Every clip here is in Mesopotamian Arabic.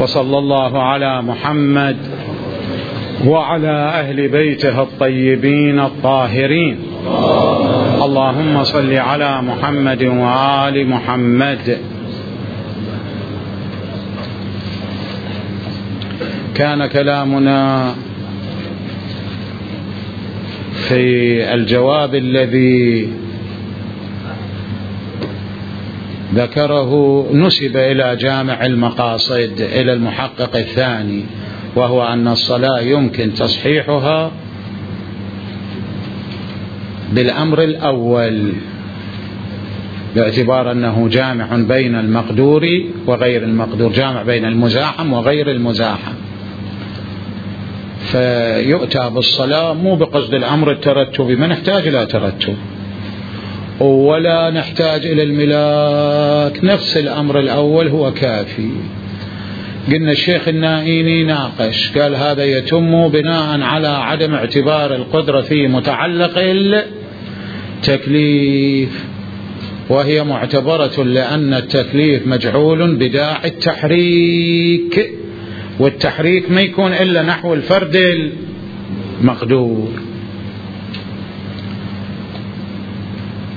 وصلى الله على محمد وعلى أهل بيته الطيبين الطاهرين. اللهم صل على محمد وآل محمد. كان كلامنا في الجواب الذي ذكره نسب إلى جامع المقاصد إلى المحقق الثاني، وهو أن الصلاة يمكن تصحيحها بالأمر الأول باعتبار أنه جامع بين المقدور وغير المقدور، جامع بين المزاحم وغير المزاحم، فيؤتى بالصلاة مو بقصد الأمر الترتبي، ما نحتاج إلى ترتب ولا نحتاج إلى الملاك، نفس الأمر الأول هو كافي. قلنا الشيخ النائيني ناقش، قال هذا يتم بناء على عدم اعتبار القدرة في متعلق التكليف، وهي معتبرة لأن التكليف مجعول بداعي التحريك، والتحريك ما يكون إلا نحو الفرد المقدور.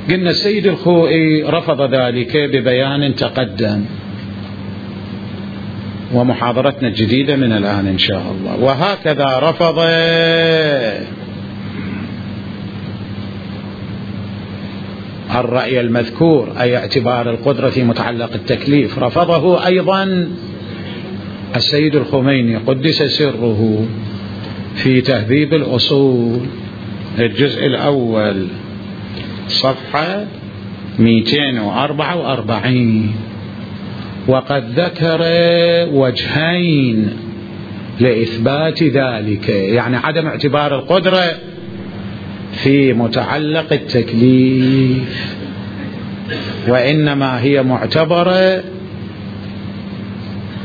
قلنا السيد الخوئي رفض ذلك ببيان تقدم، ومحاضرتنا الجديدة من الآن إن شاء الله. وهكذا رفض الرأي المذكور أي اعتبار القدرة في متعلق التكليف، رفضه أيضا السيد الخميني قدس سره في تهذيب الأصول الجزء الأول صفحة 244، وقد ذكر وجهين لإثبات ذلك، يعني عدم اعتبار القدرة في متعلق التكليف، وإنما هي معتبرة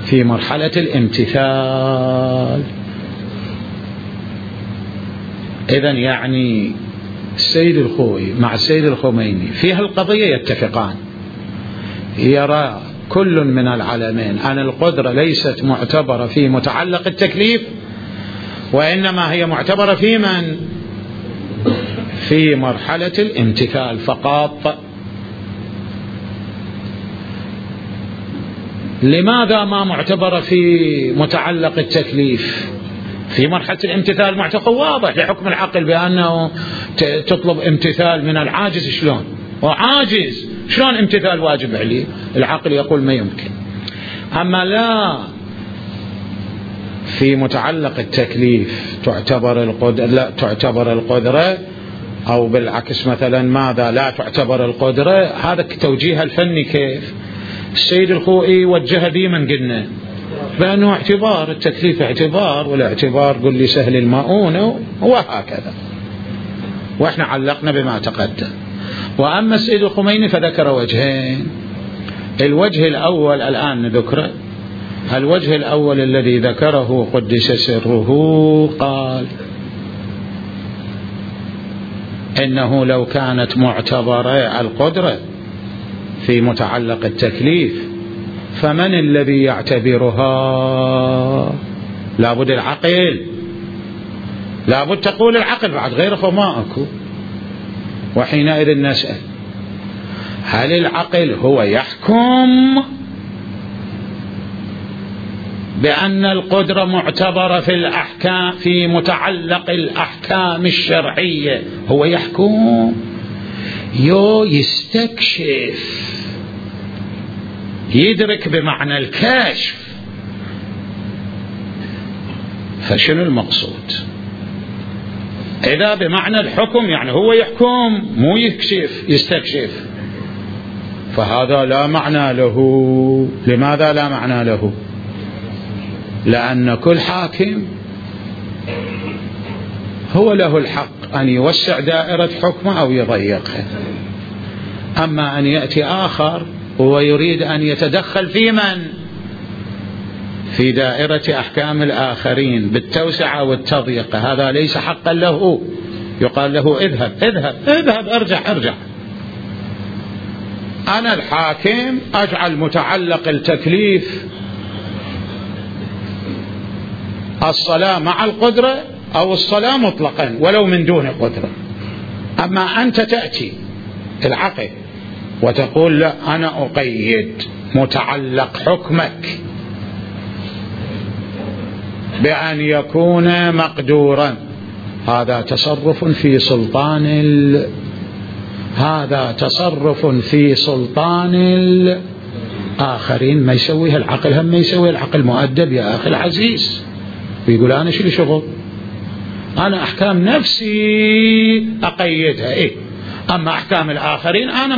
في مرحلة الامتثال. إذن يعني السيد الخوئي مع السيد الخميني في هالقضية يتفقان، يرى كل من العلمين أن القدرة ليست معتبرة في متعلق التكليف، وإنما هي معتبرة في من؟ في مرحلة الامتثال فقط. لماذا ما معتبرة في متعلق التكليف؟ في مرحلة الامتثال معتقد واضح لحكم العقل بأنه تطلب امتثال من العاجز، شلون؟ وعاجز شلون امتثال واجب عليه؟ العقل يقول ما يمكن. أما لا، في متعلق التكليف لا تعتبر القدرة، أو بالعكس مثلا ماذا لا تعتبر القدرة. هذا توجيه الفني كيف السيد الخوئي وجه بي من قلنا بأنه اعتبار التكليف اعتبار، والاعتبار قل لي سهل المؤونة، وهكذا، وإحنا علقنا بما تقدم. وأما السيد الخميني فذكر وجهين، الوجه الأول الآن نذكره. الوجه الأول الذي ذكره قدس سره قال إنه لو كانت معتبرة القدرة في متعلق التكليف فمن الذي يعتبرها؟ لابد العقل، لابد تقول العقل، بعد غيره ما أكو. وحينئذ نسأل هل العقل هو يحكم بأن القدرة معتبرة في الأحكام في متعلق الأحكام الشرعية؟ هو يحكم يستكشف، يدرك بمعنى الكشف. فشنو المقصود؟ إذا بمعنى الحكم يعني هو يحكم مو يكشف يستكشف، فهذا لا معنى له. لماذا لا معنى له؟ لأن كل حاكم هو له الحق أن يوسع دائرة حكمه أو يضيقها. أما أن يأتي آخر ويريد أن يتدخل في من؟ في دائرة أحكام الآخرين بالتوسعة والتضييق، هذا ليس حقا له. يقال له اذهب اذهب اذهب، ارجع. أنا الحاكم أجعل متعلق التكليف الصلاة مع القدرة أو الصلاة مطلقا ولو من دون قدرة. أما أنت تأتي العقل وتقول لا أنا أقيد متعلق حكمك بأن يكون مقدورا، هذا تصرف في سلطان الآخرين. ما يسويها العقل، هم ما يسوي العقل مؤدب يا أخي العزيز، ويقول أنا شو لي شغل، أنا أحكام نفسي أقيدها إيه، أما أحكام الآخرين أنا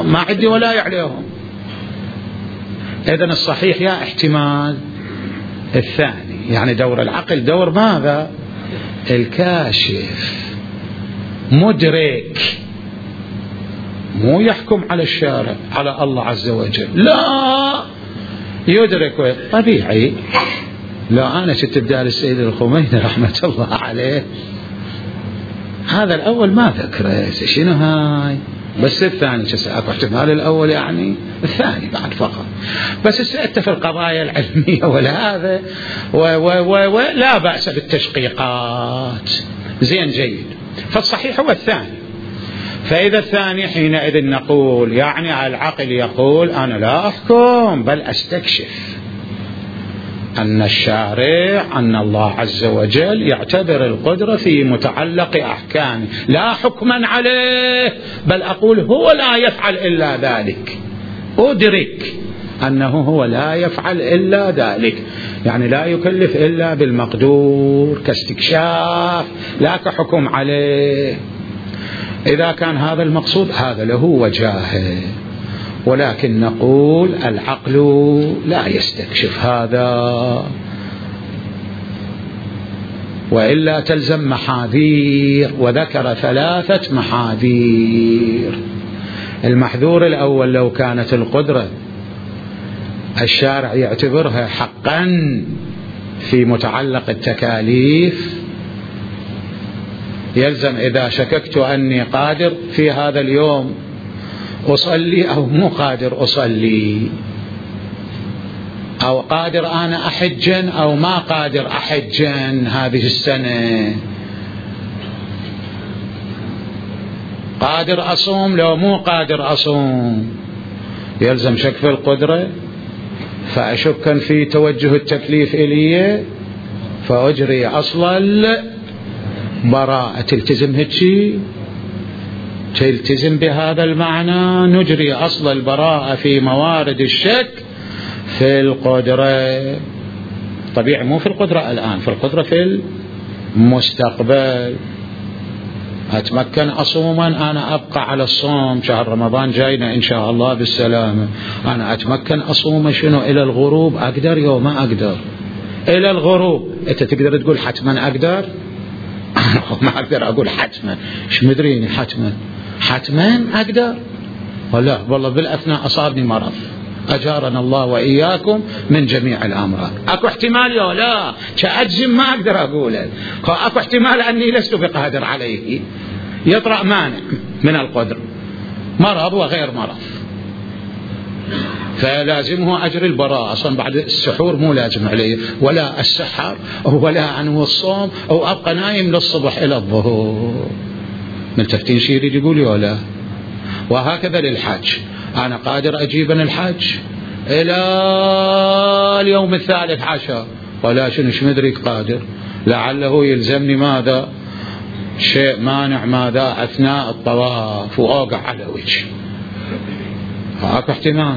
ما عندي ولاية عليهم. إذن الصحيح يا احتمال الثاني، يعني دور العقل دور ماذا؟ الكاشف، مدرك، مو يحكم على الشارع على الله عز وجل، لا يدرك. طبيعي لو أنا شفت بدال السيد الخميني رحمة الله عليه هذا الأول ما ذكره، شنو هاي، بس الثاني اكو احتمال الأول يعني الثاني بعد فقط، بس سألت في القضايا العلمية ولا هذا ولا بأس بالتشقيقات، زين جيد. فالصحيح هو الثاني. فإذا الثاني حينئذ نقول يعني العقل يقول أنا لا أحكم بل أستكشف أن الشارع أن الله عز وجل يعتبر القدرة في متعلق أحكامه لا حكما عليه، بل أقول هو لا يفعل إلا ذلك، أدرك أنه هو لا يفعل إلا ذلك، يعني لا يكلف إلا بالمقدور كاستكشاف لا كحكم عليه. إذا كان هذا المقصود هذا له وجاهه، ولكن نقول العقل لا يستكشف هذا، وإلا تلزم محاذير، وذكر 3 محاذير. المحذور الأول لو كانت القدرة الشارع يعتبرها حقا في متعلق التكاليف، يلزم إذا شككت أني قادر في هذا اليوم أصلي أو مو قادر أصلي، أو قادر أنا أحجا أو ما قادر أحجا هذه السنة، قادر أصوم لو مو قادر أصوم، يلزم شك في القدرة، فأشكا في توجه التكليف إلي فأجري أصل البراءة. تلتزم هالشي، تلتزم بهذا المعنى، نجري أصل البراءة في موارد الشك في القدرة. طبيعي مو في القدرة الآن، في القدرة في المستقبل. أتمكن أصوما، أنا أبقى على الصوم، شهر رمضان جاينا إن شاء الله بالسلامة، أنا أتمكن أصوم شنو إلى الغروب، أقدر يوم ما أقدر إلى الغروب. أنت تقدر تقول حتما أقدر؟ ما أقدر أقول حتما، إيش مدريني حتما أقدر؟ ولا والله بالأثناء أصابني مرض، أجارنا الله وإياكم من جميع الأمراض. أكو احتمال يا لا كأجزم ما أقدر أقوله، أكو احتمال أني لست بقادر عليه، يطرأ مانع من القدر، مرض وغير مرض، فلازمه أجر البراءة. أصلا بعد السحور مو لازم عليه ولا السحر ولا عنه الصوم، أو أبقى نايم للصبح إلى الظهر. ملتفتين شي يريد يقول ولا. وهكذا للحج، أنا قادر أجيبن الحج إلى اليوم 13 ولا شنش مدرك قادر، لعله يلزمني ماذا شيء مانع ماذا أثناء الطواف وأوقع على وجهي، فأكو احتمال.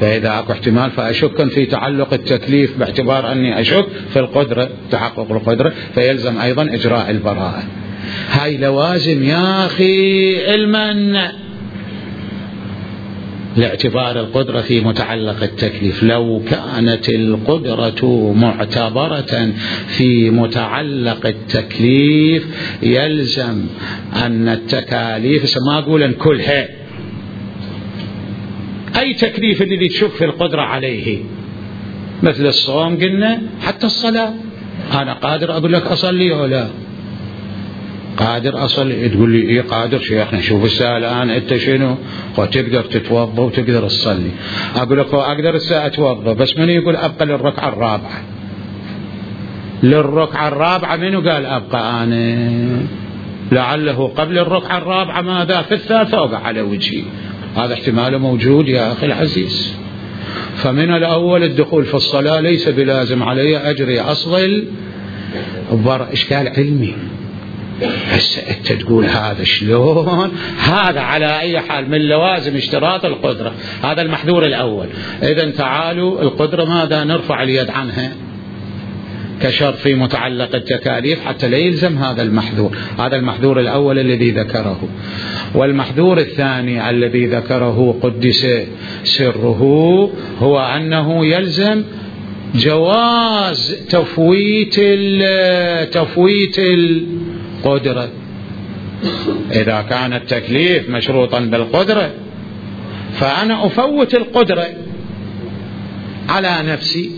فإذا أكو احتمال فأشك في تعلق التكليف باعتبار أني أشك في القدرة، تحقق القدرة، فيلزم أيضا إجراء البراءة. هاي لوازم يا أخي علما لاعتبار القدرة في متعلق التكليف. لو كانت القدرة معتبرة في متعلق التكليف يلزم أن التكاليف، ما أقول أن كلها، أي تكليف الذي تشك في القدرة عليه، مثل الصوم قلنا، حتى الصلاة، أنا قادر أقول لك أصلي ولا قادر أصلي، تقول لي إيه قادر شيخنا، شوف الساعة الآن أنت شنو، وتقدر تتوضأ وتقدر تصلي. أقول لك أقدر الساعة أتوضأ، بس من يقول أبقى للركعة الرابعة، للركعة الرابعة منو قال أبقى أنا؟ لعله قبل الركعة الرابعة ماذا في الثالثة وقع على وجهي. هذا احتمال موجود يا أخي العزيز. فمن الأول الدخول في الصلاة ليس بلازم علي أجري أصل إشكال علمي. هسه أنت تقول هذا شلون؟ هذا على أي حال من لوازم اشتراط القدرة، هذا المحذور الأول. إذن تعالوا القدرة ماذا؟ نرفع اليد عنها كشرط في متعلق التكاليف حتى لا يلزم هذا المحذور. هذا المحذور الأول الذي ذكره. والمحذور الثاني الذي ذكره قدس سره هو أنه يلزم جواز تفويت القدرة. إذا كان التكليف مشروطا بالقدرة فأنا أفوت القدرة على نفسي،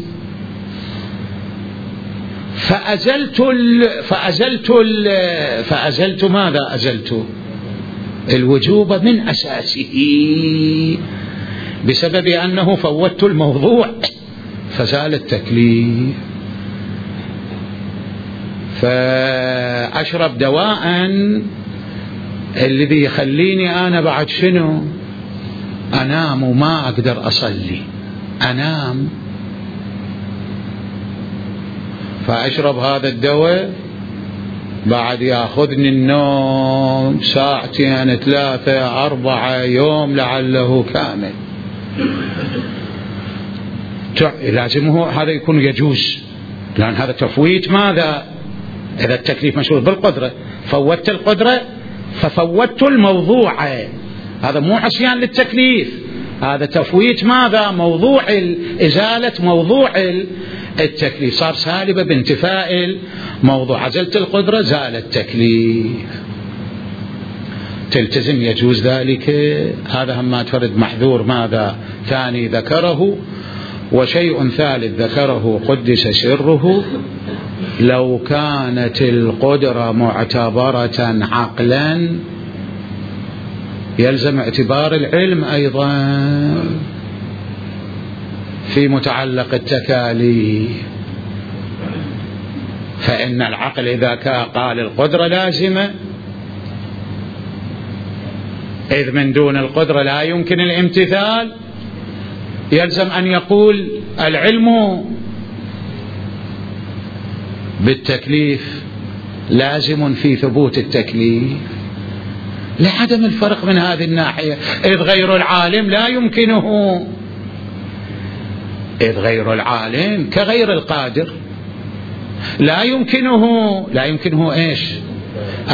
فأزلت ماذا؟ أزلت الوجوب من أساسه بسبب أنه فوتت الموضوع فزال التكليف. فأشرب دواء الذي يخليني أنا بعد شنو؟ أنام وما أقدر أصلي، أنام. فأشرب هذا الدواء بعد يأخذني النوم ساعتين 3 4 يوم لعله كامل. لازم هذا يكون يجوز، لأن هذا تفويت ماذا؟ إذا التكليف مشروط بالقدرة فوتت القدرة ففوتت الموضوع. هذا مو عصيان للتكليف، هذا تفويت ماذا؟ موضوع إزالة موضوع التكليف، صار سالبة بانتفاء الموضوع. عزلت القدرة زال التكليف، تلتزم يجوز ذلك. هذا هم ما تفرد محذور ماذا؟ ثاني ذكره. وشيء ثالث ذكره قدس سره: لو كانت القدرة معتبرة عقلا يلزم اعتبار العلم أيضا في متعلق التكاليف. فإن العقل إذا قال القدرة لازمة، إذ من دون القدرة لا يمكن الامتثال، يلزم أن يقول العلم بالتكليف لازم في ثبوت التكليف، لعدم الفرق من هذه الناحية. إذ غير العالم لا يمكنه، إذ غير العالم كغير القادر لا يمكنه إيش؟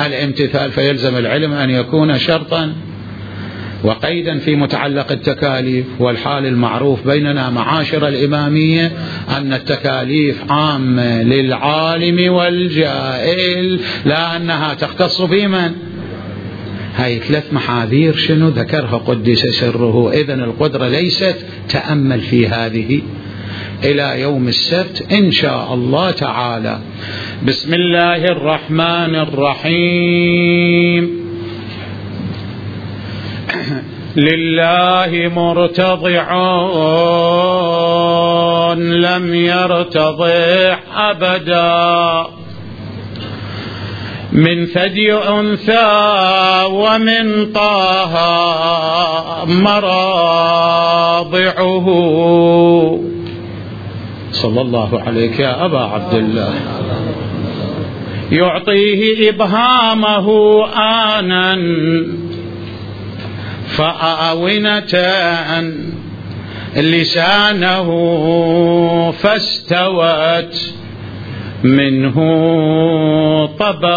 الامتثال. فيلزم العلم أن يكون شرطا وقيدا في متعلق التكاليف. والحال المعروف بيننا معاشر الإمامية أن التكاليف عامة للعالم والجاهل، لا أنها تختص بمن. هاي 3 محاذير شنو ذكرها قدس سره. إذن القدرة ليست، تأمل في هذه إلى يوم السبت إن شاء الله تعالى. بسم الله الرحمن الرحيم. لله مرتضع لم يرتضع أبدا، من ثدي أنثى ومن طه مراضعه. صلى الله عليك يا أبا عبد الله. يعطيه إبهامه آنا فآونة لسانه فاستوت منه طبائعه.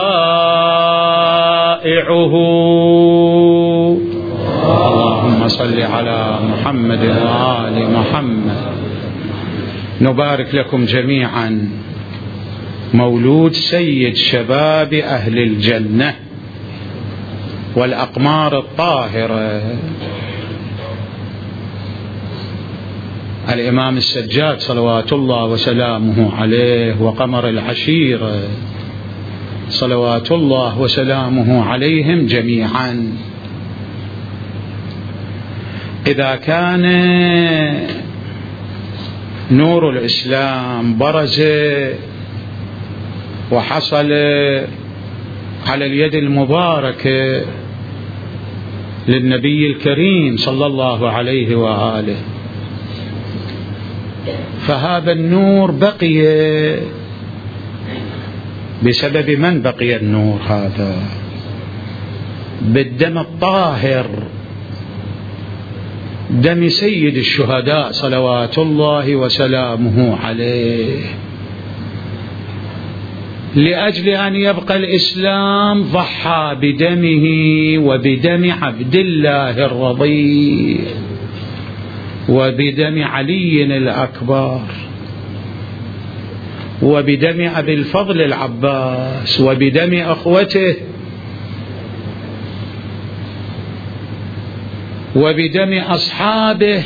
اللهم صل على محمد وآل محمد. نبارك لكم جميعا مولود سيد شباب أهل الجنة والأقمار الطاهرة الإمام السجاد صلوات الله وسلامه عليه، وقمر العشيرة صلوات الله وسلامه عليهم جميعا. إذا كان نور الإسلام برز وحصل على اليد المباركة للنبي الكريم صلى الله عليه وآله. فهذا النور بقي بسبب من بقي النور هذا؟ بالدم الطاهر، دم سيد الشهداء صلوات الله وسلامه عليه. لأجل أن يبقى الإسلام ضحى بدمه وبدم عبد الله الرضيع وبدم علي الأكبر وبدم أبي الفضل العباس وبدم أخوته وبدم أصحابه،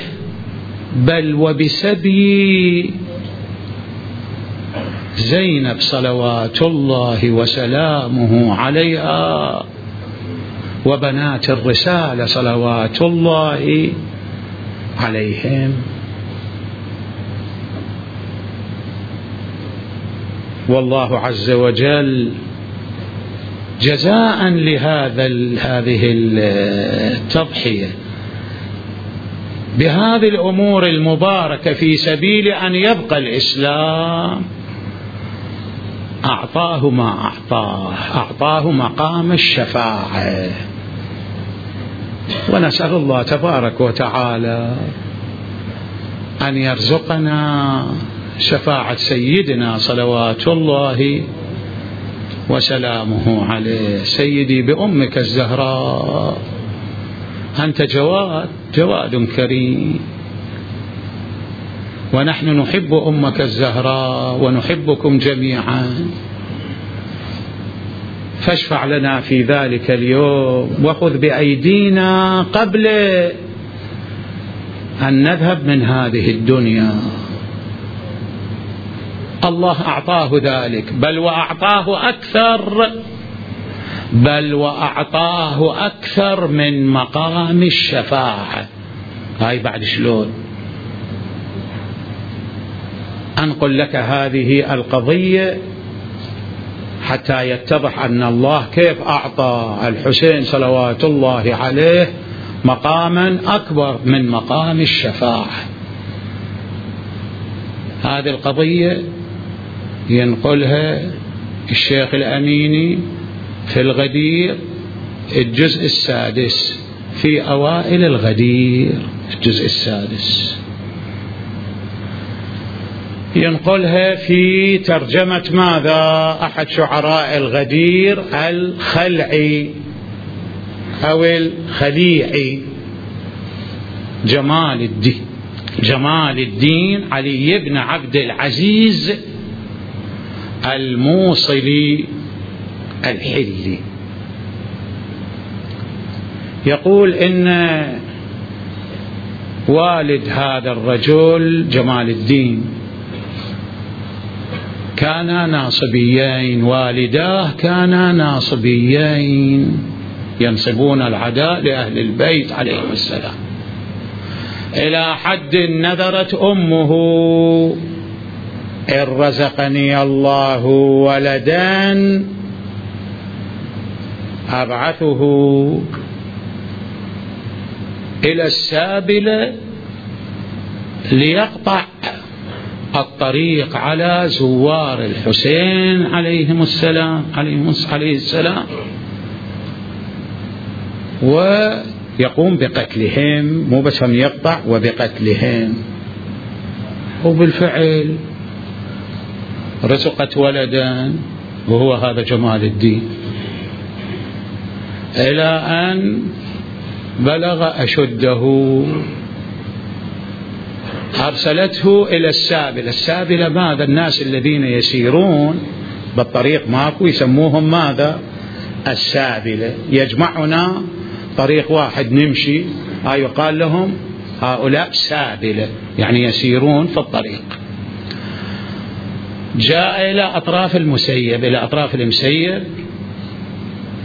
بل وبسبي زينب صلوات الله وسلامه عليها وبنات الرسالة صلوات الله عليهم. والله عز وجل جزاء هذه التضحية بهذه الأمور المباركة في سبيل أن يبقى الإسلام أعطاه ما أعطاه مقام الشفاعة. ونسأل الله تبارك وتعالى أن يرزقنا شفاعة سيدنا صلوات الله وسلامه عليه. سيدي بأمك الزهراء، أنت جواد كريم، ونحن نحب أمك الزهراء ونحبكم جميعا، فاشفع لنا في ذلك اليوم وخذ بأيدينا قبل أن نذهب من هذه الدنيا. الله أعطاه ذلك، بل وأعطاه أكثر من مقام الشفاعة. هاي بعد شلون أنقل لك هذه القضية حتى يتضح أن الله كيف أعطى الحسين صلوات الله عليه مقاما أكبر من مقام الشفاعة. هذه القضية ينقلها الشيخ الأميني في الغدير الجزء السادس، في أوائل الغدير الجزء السادس، ينقلها في ترجمة ماذا؟ أحد شعراء الغدير الخلعي أو الخليعي، جمال الدين علي بن عبد العزيز الموصلي الحلي. يقول إن والد هذا الرجل جمال الدين كانا ناصبيين، والداه كانا ناصبيين ينصبون العداء لأهل البيت عليهم السلام، إلى حد نذرت أمه إن رزقني الله ولدا أبعثه إلى السابلة ليقطع الطريق على زوار الحسين عليه السلام ويقوم بقتلهم، مو بس هم يقطع وبقتلهم. وبالفعل رزقت ولدا وهو هذا جمال الدين، إلى أن بلغ أشده أرسلته إلى السابلة ماذا؟ الناس الذين يسيرون بالطريق ماكو يسموهم ماذا؟ السابلة. يجمعنا طريق واحد نمشي يقال لهم هؤلاء سابلة، يعني يسيرون في الطريق. جاء إلى أطراف المسير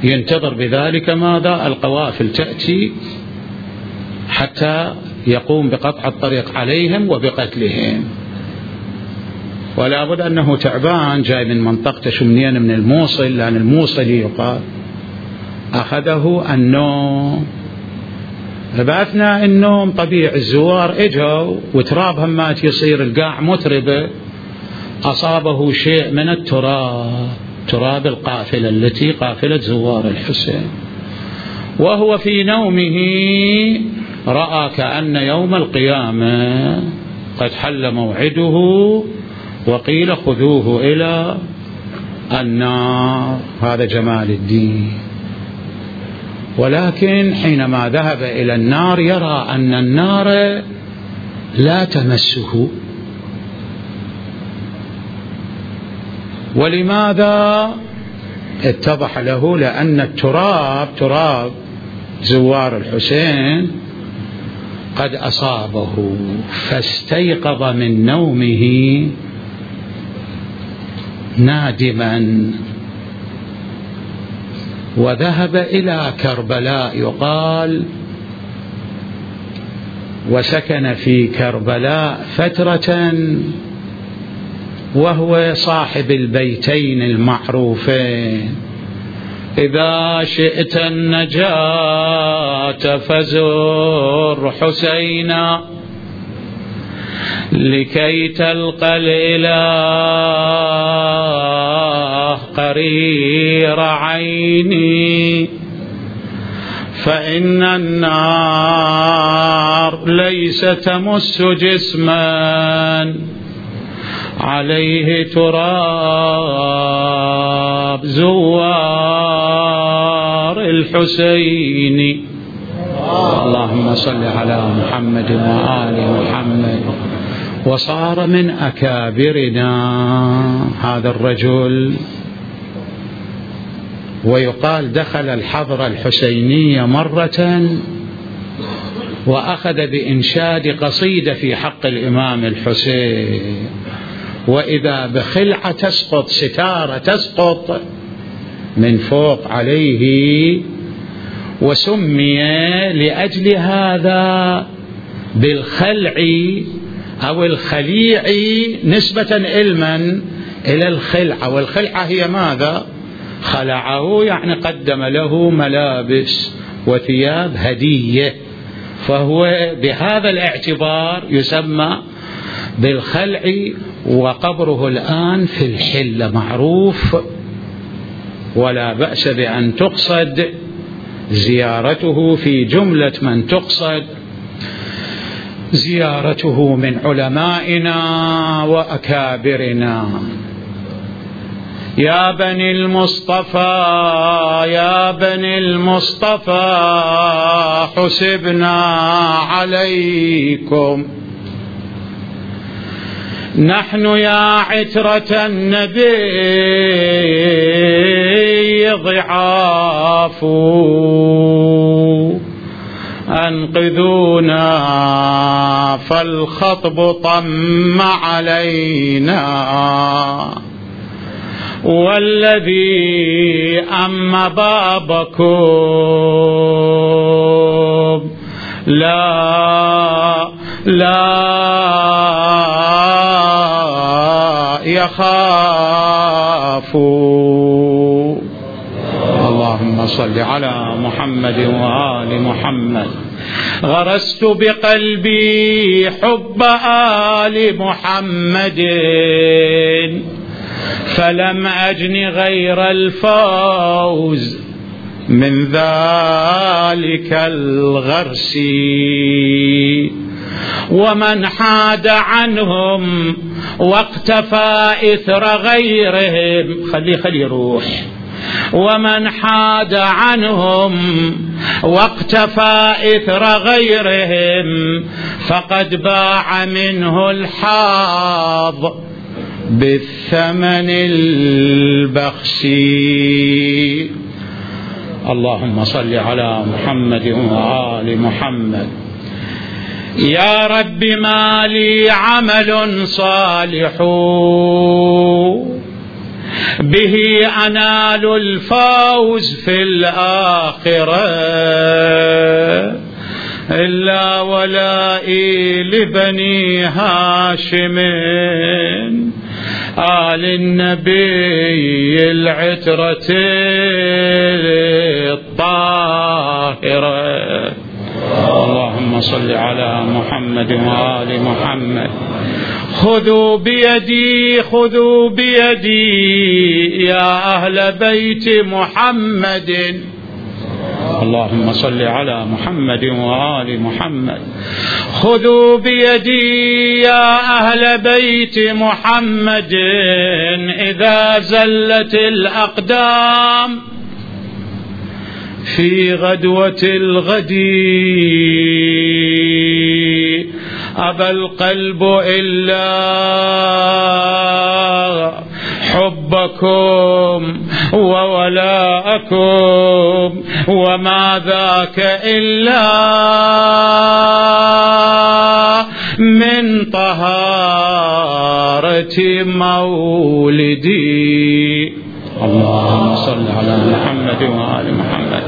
ينتظر بذلك ماذا؟ القوافل تأتي حتى يقوم بقطع الطريق عليهم وبقتلهم. ولا بد أنه تعبان جاي من منطقة شمنين من الموصل، لأن الموصلي يقال أخذه النوم. فبأثناء النوم طبيعي الزوار اجوا وتراب همات يصير القاع متربة، أصابه شيء من التراب، تراب القافلة التي قافلة زوار الحسين، وهو في نومه رأى كأن يوم القيامة قد حل موعده وقيل خذوه إلى النار. هذا جمال الدين. ولكن حينما ذهب إلى النار يرى أن النار لا تمسه. ولماذا؟ اتضح له لأن التراب، تراب زوار الحسين، قد أصابه، فاستيقظ من نومه نادما وذهب إلى كربلاء يقال، وسكن في كربلاء فترة، وهو صاحب البيتين المعروفين: إذا شئت النجاة فزر حسينا لكي تلقى الإله قرير عيني، فإن النار ليس تمس جسما عليه تراب زوار الحسين. اللهم صل على محمد وآل محمد. وصار من أكابرنا هذا الرجل، ويقال دخل الحضرة الحسينية مرة وأخذ بإنشاد قصيدة في حق الإمام الحسين، وإذا بخلعة تسقط، ستارة تسقط من فوق عليه، وسمي لأجل هذا بالخلع أو الخليع نسبة علما إلى الخلعة. والخلعة هي ماذا؟ خلعه يعني قدم له ملابس وثياب هدية، فهو بهذا الاعتبار يسمى بالخلع. وقبره الآن في الحلة معروف، ولا بأس بأن تقصد زيارته، في جملة من تقصد زيارته من علمائنا وأكابرنا. يا بني المصطفى يا بني المصطفى حسبنا عليكم، نحن يا عترة النبي ضعاف، أنقذونا فالخطب طم علينا، والذي أم بابكم لا يخاف. اللهم صل على محمد وآل محمد. غرست بقلبي حب آل محمد، فلم أجن غير الفوز من ذلك الغرس، ومن حاد عنهم واقتفى إثر غيرهم، خلي روح، ومن حاد عنهم واقتفى إثر غيرهم فقد باع منه الحاض بالثمن البخس. اللهم صل على محمد وآل محمد. يا رب ما لي عمل صالح به أنال الفوز في الآخرة، إلا ولائي لبني هاشم آل النبي العترة الطاهرة. اللهم صل على محمد وآل محمد. خذوا بيدي خذوا بيدي يا أهل بيت محمد. اللهم صل على محمد وآل محمد. خذوا بيدي يا أهل بيت محمد إذا زلت الأقدام في غدوة الغد أبى القلب إلا حبكم وولاءكم وما ذاك إلا من طهارة مولدي. اللهم صل على محمد وآل محمد.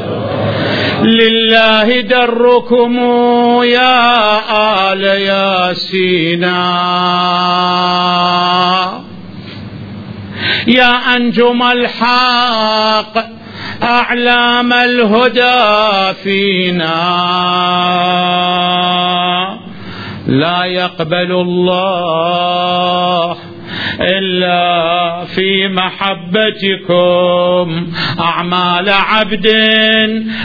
لله دركم يا آل ياسين يا أنجم الحق أعلام الهدى فينا. لا يقبل الله إلا في محبتكم أعمال عبد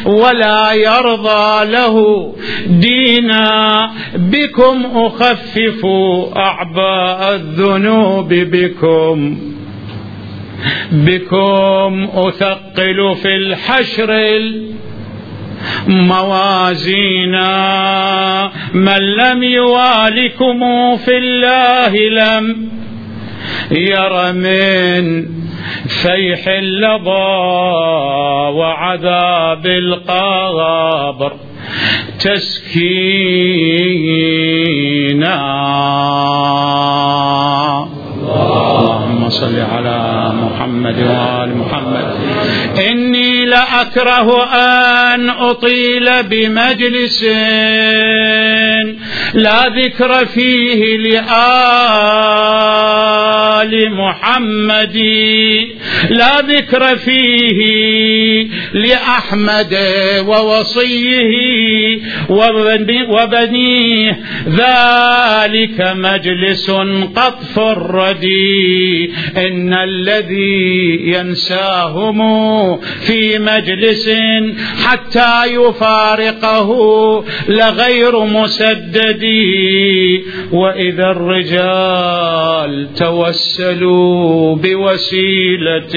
ولا يرضى له دينا. بكم أخفف أعباء الذنوب بكم أثقل في الحشر موازينا. من لم يوالكم في الله لم ير من فيح اللظى وعذاب القبر تسكينا. اللهم صل على محمد وآل محمد. إني لأكره أن أطيل بمجلس لا ذكر فيه لآل محمد، لا ذكر فيه لأحمد ووصيه وبنيه. ذلك مجلس قطف الردي. إن الذي ينساهم في مجلس حتى يفارقه لغير مسدد. وإذا الرجال توسلوا بوسيلة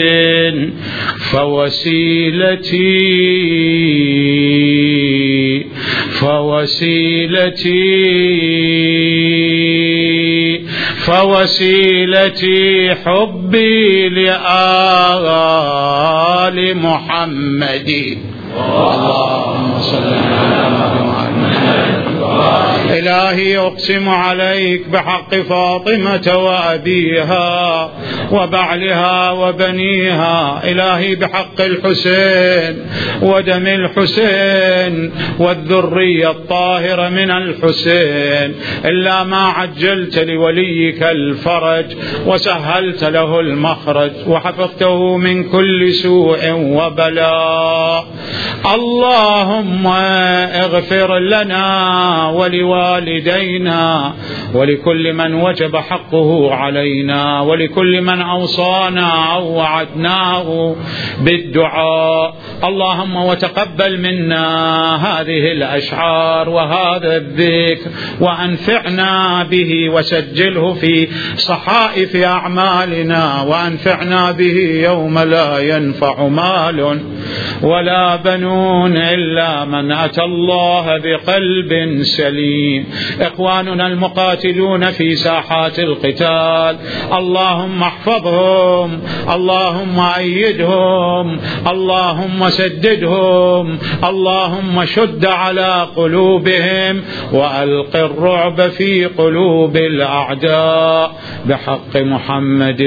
فوسيلتي حبي لآل محمد. اللهم صل على محمد. إلهي أقسم عليك بحق فاطمة وأبيها وبعلها وبنيها. إلهي بحق الحسين ودم الحسين والذرية الطاهرة من الحسين، إلا ما عجلت لوليك الفرج وسهلت له المخرج وحفظته من كل سوء وبلاء. اللهم اغفر لنا ولوالدينا ولكل من وجب حقه علينا ولكل من أوصانا أو وعدناه بالدعاء. اللهم وتقبل منا هذه الأشعار وهذا الذكر وأنفعنا به وسجله في صحائف أعمالنا وأنفعنا به يوم لا ينفع مال ولا بنون إلا من أتى الله بقلب سليم. إخواننا المقاتلون في ساحات القتال اللهم احفظهم، اللهم أيدهم، اللهم سددهم، اللهم شد على قلوبهم وألق الرعب في قلوب الأعداء بحق محمد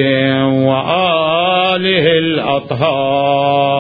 وآله الأطهار.